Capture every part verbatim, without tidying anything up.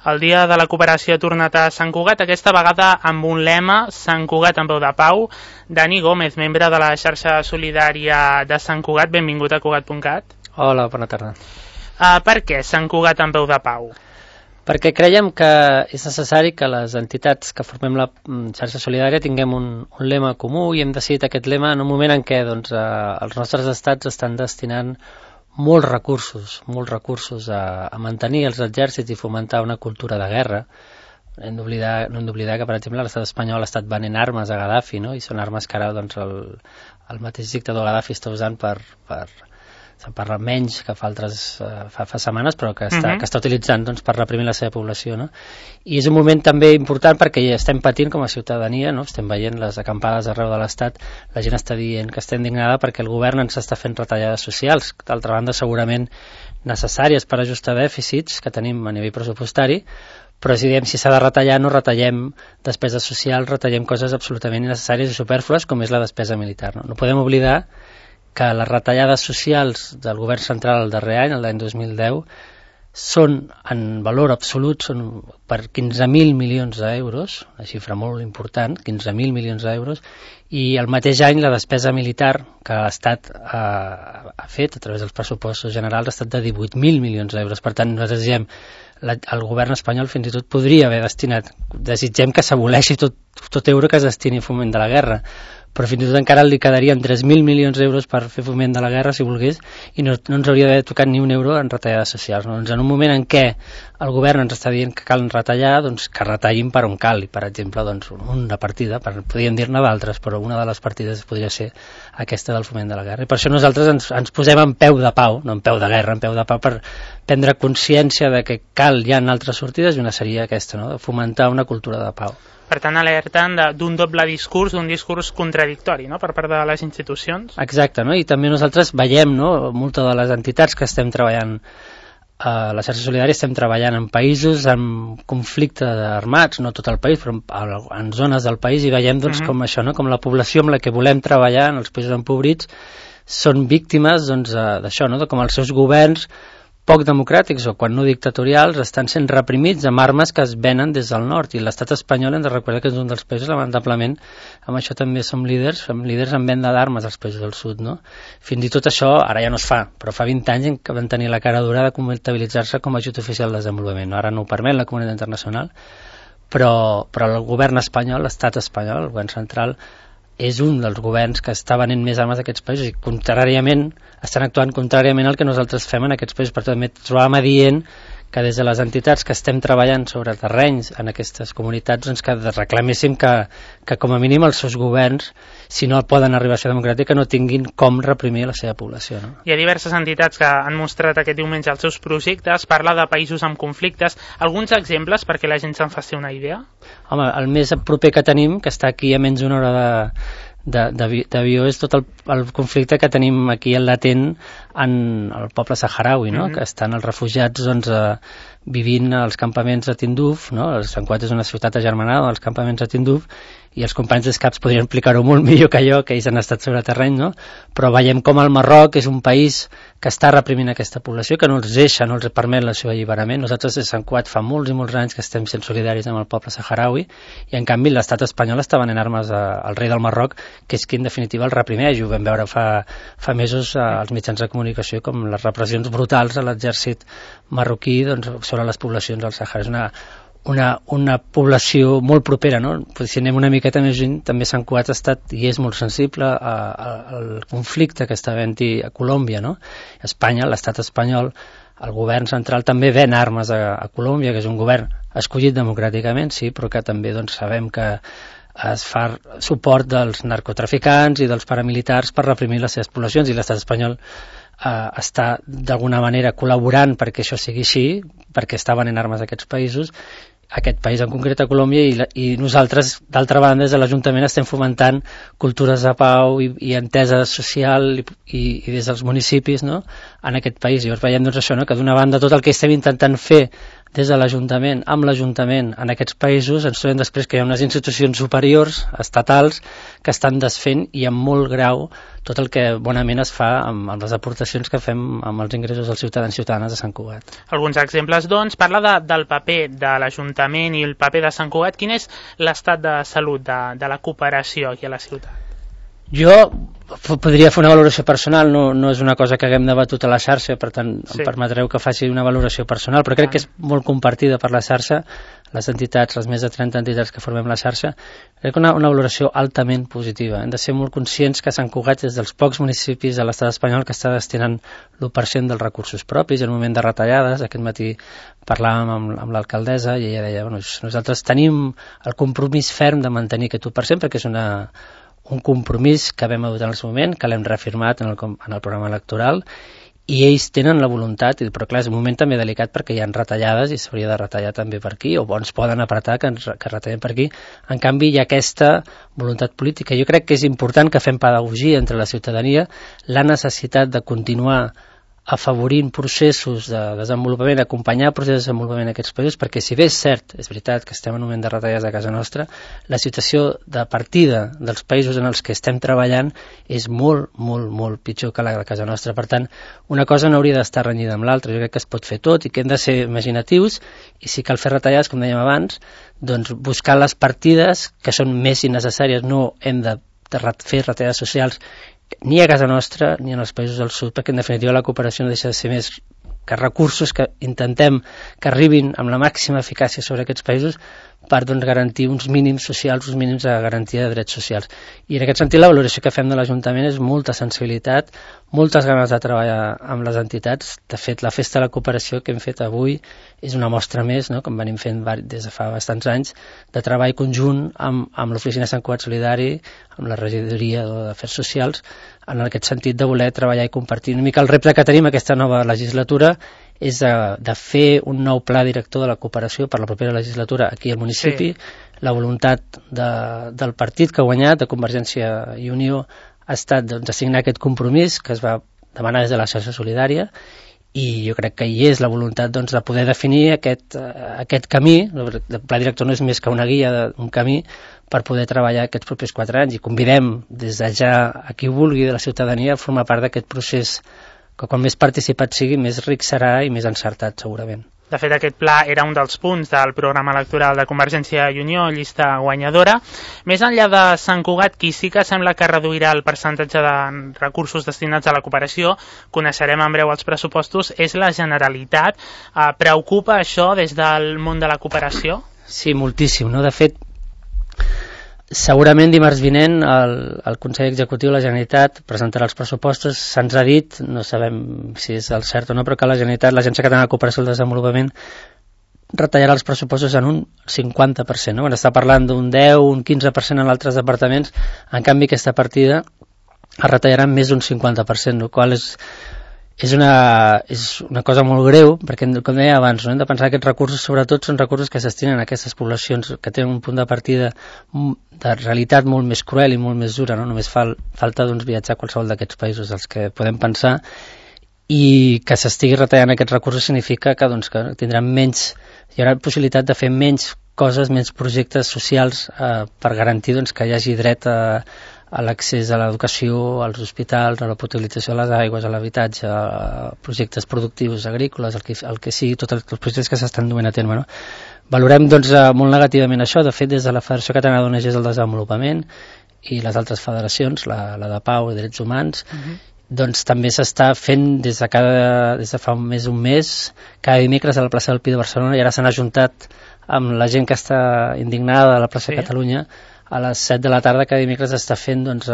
El Dia de la Cooperació ha tornat a Sant Cugat, aquesta vegada amb un lema, Sant Cugat en peu de pau. Dani Gómez, membre de la xarxa solidària de Sant Cugat, benvingut a Cugat punt cat. Hola, bona tarda. Uh, per què Sant Cugat en peu de pau? Perquè creiem que és necessari que les entitats que formem la xarxa solidària tinguem un, un lema comú i hem decidit aquest lema en un moment en què doncs, eh, els nostres estats estan destinant molts recursos, molts recursos a, a mantenir els exèrcits i fomentar una cultura de guerra. Hem d'oblidar, no hem d'oblidar que, per exemple, l'estat espanyol ha estat venent armes a Gaddafi, no? I són armes que ara doncs, el, el mateix dictador Gaddafi està usant per... per se'n parla menys que fa altres uh, fa, fa setmanes, però que està, uh-huh. que està utilitzant doncs, per reprimir la seva població, no? I és un moment també important perquè ja estem patint com a ciutadania, no? Estem veient les acampades arreu de l'Estat, la gent està dient que està indignada perquè el govern ens està fent retallades socials, d'altra banda segurament necessàries per ajustar dèficits que tenim a nivell pressupostari, però si diem si s'ha de retallar, no retallem despesa social, retallem coses absolutament innecessàries i superflues com és la despesa militar, no? No podem oblidar que les retallades socials del govern central el darrer any, l'any dos mil deu, són en valor absolut són per quinze mil milions d'euros, una xifra molt important, quinze mil milions d'euros, i el mateix any la despesa militar que l'Estat ha, ha fet a través dels pressupostos generals ha estat de divuit mil milions d'euros. Per tant, nosaltres diem la, el govern espanyol fins i tot podria haver destinat, desitgem que s'aboleixi tot, tot euro que es destini a foment de la guerra, però fins i tot encara li quedarien tres mil milions d'euros per fer foment de la guerra, si volgués, i no, no ens hauria d'haver tocat ni un euro en retallades socials. No? Doncs en un moment en què el govern ens està dient que cal retallar, doncs que retallin per on cal, i per exemple, doncs, una partida, per, podríem dir-ne d'altres, però una de les partides podria ser aquesta del foment de la guerra. I per això nosaltres ens, ens posem en peu de pau, no en peu de guerra, en peu de pau, per prendre consciència de que cal, hi ha altres sortides, i una seria aquesta, no? De fomentar una cultura de pau. Per tant, alerten d'un doble discurs, d'un discurs contradictori, no?, per part de les institucions. Exacte, no? I també nosaltres veiem, no?, moltes de les entitats que estem treballant a la xarxa solidària, estem treballant en països amb conflicte armats, no tot el país, però en zones del país, i veiem doncs, uh-huh. com això, no?, com la població amb la que volem treballar en els països empobrits són víctimes doncs, d'això, no?, de com els seus governs poc democràtics o quan no dictatorials estan sent reprimits amb armes que es venen des del nord, i l'estat espanyol hem de recordar que és un dels països, lamentablement amb això també som líders, som líders en venda d'armes als països del sud, no? Fins i tot això ara ja no es fa, però fa vint anys que van tenir la cara dura de comptabilitzar-se com a ajut oficial de desenvolupament, no? Ara no ho permet la comunitat internacional, però, però el govern espanyol, l'estat espanyol, el govern central és un dels governs que està venent més armes d'aquests països i contràriament estan actuant contràriament al que nosaltres fem en aquests països. Per tant, trobàvem adient que des de les entitats que estem treballant sobre terrenys en aquestes comunitats doncs que reclaméssim que, que com a mínim els seus governs, si no poden arribar a ser democràtics, no tinguin com reprimir la seva població, no? Hi ha diverses entitats que han mostrat aquest diumenge els seus projectes, parla de països amb conflictes. Alguns exemples perquè la gent se'n faci una idea? Home, el més proper que tenim, que està aquí a menys d'una hora de d'avió, és tot el, el conflicte que tenim aquí en latent en el poble saharaui, no? Mm-hmm. Que estan els refugiats doncs, eh, vivint als campaments a Tinduf, no? El Sant Cugat és una ciutat agermanada als campaments a Tinduf, i els companys d'Escaps podrien explicar-ho molt millor que jo, que ells han estat sobre terreny, no? Però veiem com el Marroc és un país que està reprimint aquesta població, que no els deixa, no els permet el seu alliberament. Nosaltres a Sant Cugat fa molts i molts anys que estem sent solidaris amb el poble saharaui, i en canvi l'estat espanyol està venent armes a, al rei del Marroc, que és qui en definitiva el reprimeix. Ho vam veure fa, fa mesos als mitjans de comunicació com les repressions brutals a l'exèrcit marroquí doncs, sobre les poblacions del Sàhara. És una Una, una població molt propera, no? Si anem una miqueta més lluny, també Sant Cugat ha estat i és molt sensible a, a, al conflicte que està havent-hi a Colòmbia, no? Espanya, l'estat espanyol, el govern central també ven armes a, a Colòmbia, que és un govern escollit democràticament, sí, però que també doncs, sabem que es fa suport dels narcotraficants i dels paramilitars per reprimir les seves poblacions, i l'estat espanyol eh, està d'alguna manera col·laborant perquè això sigui així, perquè està venent armes a aquests països, aquest país en concret a Colòmbia, i, la, i nosaltres d'altra banda des de l'Ajuntament estem fomentant cultures de pau i, i entesa social i, i, i des dels municipis, no?, en aquest país. I llavors veiem doncs, això, no?, que d'una banda tot el que estem intentant fer des de l'Ajuntament, amb l'Ajuntament en aquests països, ens trobem després que hi ha unes institucions superiors, estatals, que estan desfent i amb molt grau tot el que bonament es fa amb, amb les aportacions que fem amb els ingressos dels ciutadans i ciutadanes de Sant Cugat. Alguns exemples, doncs, parla de, del paper de l'Ajuntament i el paper de Sant Cugat. Quin és l'estat de salut de, de la cooperació aquí a la ciutat? Jo podria fer una valoració personal, no, no és una cosa que haguem debatut a la xarxa, per tant sí. Em permetreu que faci una valoració personal, però crec que és molt compartida per la xarxa, les entitats, les més de trenta entitats que formem la xarxa, crec que una, una valoració altament positiva. Hem de ser molt conscients que Sant Cugat és dels pocs municipis de l'estat espanyol que està destinant l'u per cent dels recursos propis en un moment de retallades. Aquest matí parlàvem amb, amb l'alcaldessa i ella deia, bueno, nosaltres tenim el compromís ferm de mantenir aquest u per cent perquè és una un compromís que vam adoptar en el seu moment, que l'hem reafirmat en el, en el programa electoral, i ells tenen la voluntat, però clar, és un moment també delicat perquè hi ha retallades i s'hauria de retallar també per aquí, o ens poden apretar que, ens, que retallem per aquí. En canvi, hi ha aquesta voluntat política. Jo crec que és important que fem pedagogia entre la ciutadania, la necessitat de continuar afavorint processos de desenvolupament, acompanyar processos de desenvolupament en aquests països, perquè si bé és cert, és veritat que estem en un moment de retallades a casa nostra, la situació de partida dels països en els que estem treballant és molt, molt, molt pitjor que la de casa nostra. Per tant, una cosa no hauria d'estar renyida amb l'altra. Jo crec que es pot fer tot i que hem de ser imaginatius, i si cal fer retallades, com dèiem abans, doncs buscar les partides que són més innecessàries. No hem de fer retallades socials ni a casa nostra ni en els països del sud, perquè en definitiva la cooperació no deixa de ser més que recursos que intentem que arribin amb la màxima eficàcia sobre aquests països per doncs, garantir uns mínims socials, uns mínims de garantia de drets socials. I en aquest sentit la valoració que fem de l'Ajuntament és molta sensibilitat, moltes ganes de treballar amb les entitats. De fet, la Festa de la Cooperació que hem fet avui és una mostra més, no?, com venim fent des de fa bastants anys, de treball conjunt amb, amb l'Oficina Sant Cugat Solidari, amb la Regidoria d'Afers Socials, en aquest sentit de voler treballar i compartir. Una mica el repte que tenim aquesta nova legislatura és de, de fer un nou pla director de la cooperació per la propera legislatura aquí al municipi. Sí. La voluntat de, del partit que ha guanyat, de Convergència i Unió, ha estat doncs, de signar aquest compromís que es va demanar des de la xarxa solidària, i jo crec que hi és la voluntat doncs, de poder definir aquest, uh, aquest camí. El pla director no és més que una guia, un camí per poder treballar aquests propers quatre anys, i convidem des de ja a qui vulgui de la ciutadania a formar part d'aquest procés, que quan més participat sigui, més ric serà i més encertat, segurament. De fet, aquest pla era un dels punts del programa electoral de Convergència i Unió, llista guanyadora. Més enllà de Sant Cugat, qui sí que sembla que reduirà el percentatge de recursos destinats a la cooperació, coneixerem en breu els pressupostos, és la Generalitat. Eh, preocupa això des del món de la cooperació? Sí, moltíssim, no? De fet, segurament dimarts vinent el, el Consell Executiu de la Generalitat presentarà els pressupostos. Se'ns ha dit, no sabem si és el cert o no, però que la Generalitat, l'Agència Catalana de Cooperació i el Desenvolupament, retallarà els pressupostos en un cinquanta per cent. No? Quan està parlant d'un deu, un quinze per cent en altres departaments, en canvi aquesta partida es retallarà en més d'un cinquanta per cent, el qual és És una, és una cosa molt greu, perquè, com deia abans, no? Hem de pensar que aquests recursos, sobretot, són recursos que es destinen a aquestes poblacions que tenen un punt de partida de realitat molt més cruel i molt més dura, no? Només fal, falta doncs, viatjar a qualsevol d'aquests països dels que podem pensar, i que s'estigui retallant aquests recursos significa que, doncs, que tindran menys, hi haurà possibilitat de fer menys coses, menys projectes socials eh, per garantir doncs, que hi hagi dret a a l'accés a l'educació, als hospitals, a la potabilització de les aigües, a l'habitatge, a projectes productius agrícoles, el que, el que sigui, tots els projectes que s'estan duent a terme. No? Valorem doncs, molt negativament això. De fet, des de la Federació Catalana d'O N Ges del Desenvolupament i les altres federacions, la, la de Pau i Drets Humans, uh-huh. doncs també s'està fent des de, cada, des de fa més d'un mes, cada dimecres a la plaça del Pi de Barcelona, i ara s'han ajuntat amb la gent que està indignada a la plaça sí. de Catalunya. A les set de la tarda cada dimecres està fent doncs,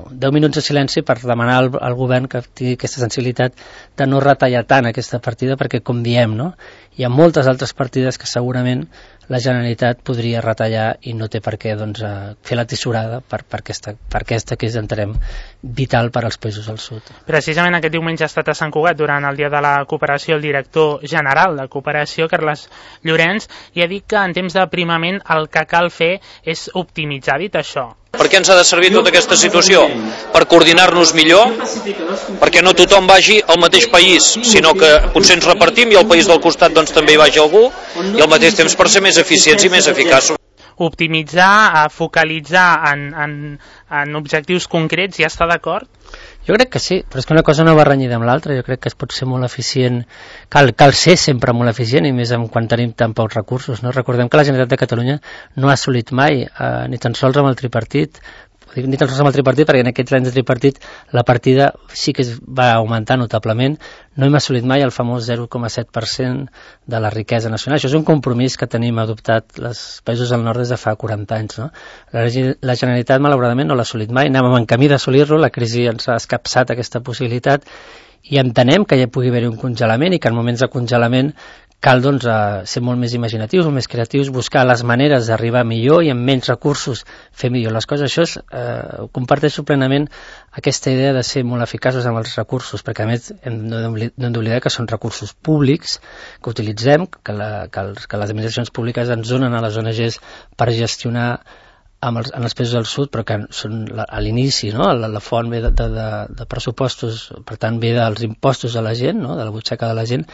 deu minuts de silenci per demanar al, al govern que tingui aquesta sensibilitat de no retallar tant aquesta partida, perquè, com diem, no? Hi ha moltes altres partides que segurament la Generalitat podria retallar i no té per què doncs, fer la tisorada per, per, aquesta, per aquesta que és, entenem, vital per als països del sud. Precisament aquest diumenge ha estat a Sant Cugat durant el Dia de la Cooperació el director general de Cooperació, Carles Llorenç, i ha dit que en temps d'aprimament el que cal fer és optimitzar. Dit això, Per què ens ha de servir tota aquesta situació? Per coordinar-nos millor, perquè no tothom vagi al mateix país, sinó que potser ens repartim i al país del costat doncs, també hi vagi algú, i al mateix temps per ser més eficients i més eficaços. Optimitzar, focalitzar en, en, en objectius concrets, ja està d'acord? Jo crec que sí, però és que una cosa no va renyida amb l'altra. Jo crec que es pot ser molt eficient, cal, cal ser sempre molt eficient, i més quan tenim tan pocs recursos, no? Recordem que la Generalitat de Catalunya no ha assolit mai, eh, ni tan sols amb el tripartit, ni tan sols amb el tripartit, perquè en aquests anys de tripartit la partida sí que es va augmentar notablement. No hem assolit mai el famós zero coma set per cent de la riquesa nacional. Això és un compromís que tenim adoptat els països del nord des de fa quaranta anys, no? La, la Generalitat, malauradament, no l'ha assolit mai. Anàvem en camí d'assolir-lo, la crisi ens ha escapçat aquesta possibilitat, i entenem que hi pugui haver un congelament i que en moments de congelament cal doncs, ser molt més imaginatius, molt més creatius, buscar les maneres d'arribar millor i amb menys recursos fer millor les coses. Això és, eh, comparteixo plenament aquesta idea de ser molt eficaços amb els recursos, perquè a més hem d'oblidar que són recursos públics que utilitzem, que, la, que, els, que les administracions públiques ens donen a les O N Ges per gestionar amb els, en els països del sud, però que són la, a l'inici, no? la, la font ve de, de, de pressupostos, per tant ve dels impostos de la gent, no? de la butxaca de la gent,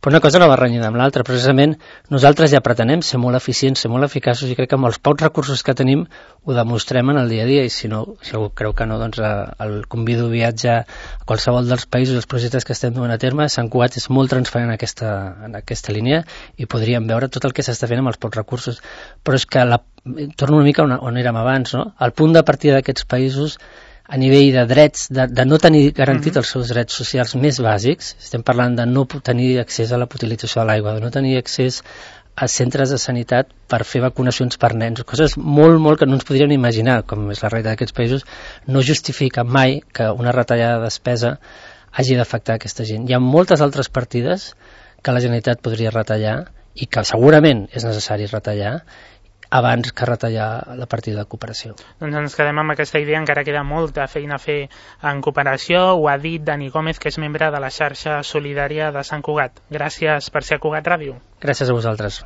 però una cosa no va renyida amb l'altra. Precisament nosaltres ja pretenem ser molt eficients, ser molt eficaços, i crec que amb els pocs recursos que tenim ho demostrem en el dia a dia, i si no, si algú creu que no, doncs el convido a viatjar a qualsevol dels països, els projectes que estem duent a terme. Sant Cugat és molt transparent en aquesta, en aquesta línia, i podríem veure tot el que s'està fent amb els pocs recursos, però és que la torno una mica on, on érem abans, no? El punt de partida d'aquests països a nivell de drets, de, de no tenir garantit els seus drets socials més bàsics, estem parlant de no tenir accés a la utilització de l'aigua, de no tenir accés a centres de sanitat per fer vacunacions per nens, coses molt, molt que no ens podríem imaginar, com és la realitat d'aquests països, no justifica mai que una retallada de despesa hagi d'afectar aquesta gent. Hi ha moltes altres partides que la Generalitat podria retallar i que segurament és necessari retallar abans que retallar la partida de cooperació. Doncs ens quedem amb aquesta idea, encara queda molta feina a fer en cooperació. Ho ha dit Dani Gómez, que és membre de la xarxa solidària de Sant Cugat. Gràcies per ser a Cugat Ràdio. Gràcies a vosaltres.